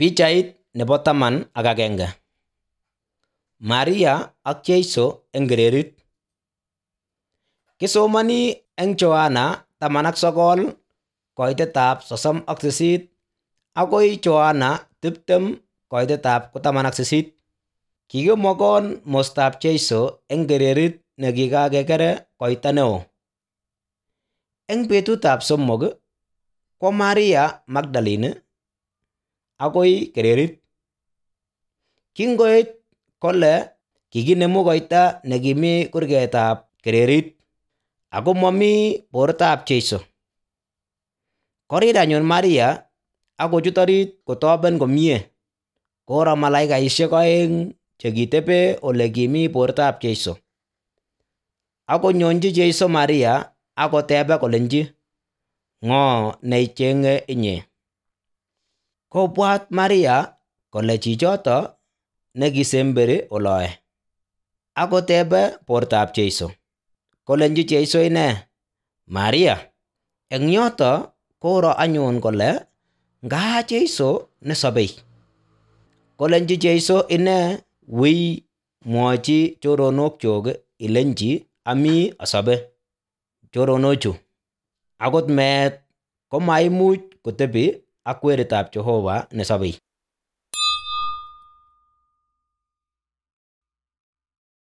Pichait nebo 11. Maria ak Jeiso eng kererit. Kisomani eng Johana 19 koitetab 38 akoi Johana 20 koitetab 18. Kikimokon mostab Jeiso eng kererit nekikakekere koita neo. Eng betutab somok kwo Maria Magdalene akoi kererit. Kingoit kole kikinemu koita nekimi kurgetab kererit ako mami bortab Jeiso. Korir anyun Maria akochut orit kotoben komie. Koro malaikaisiek oeng chekitebe ole kimi bortab Jeiso. Akonyonji Jeiso Maria akotebe kolenji, "Ng'o neicheng'e inye?" Kobwat Maria kole chichoto nekisemberi oloe. Akotebe bortab Jeiso. Kolenji Jeiso ine, "Maria." Eng yoto koro anyun kole ngaa Jeiso nesobei. Kolenji Jeiso ine, "Wiy mwochi choronokchuk ilenji ami asobe." Choronochu akot meet komaimuch kotebi ak weritab Jehova nesobei.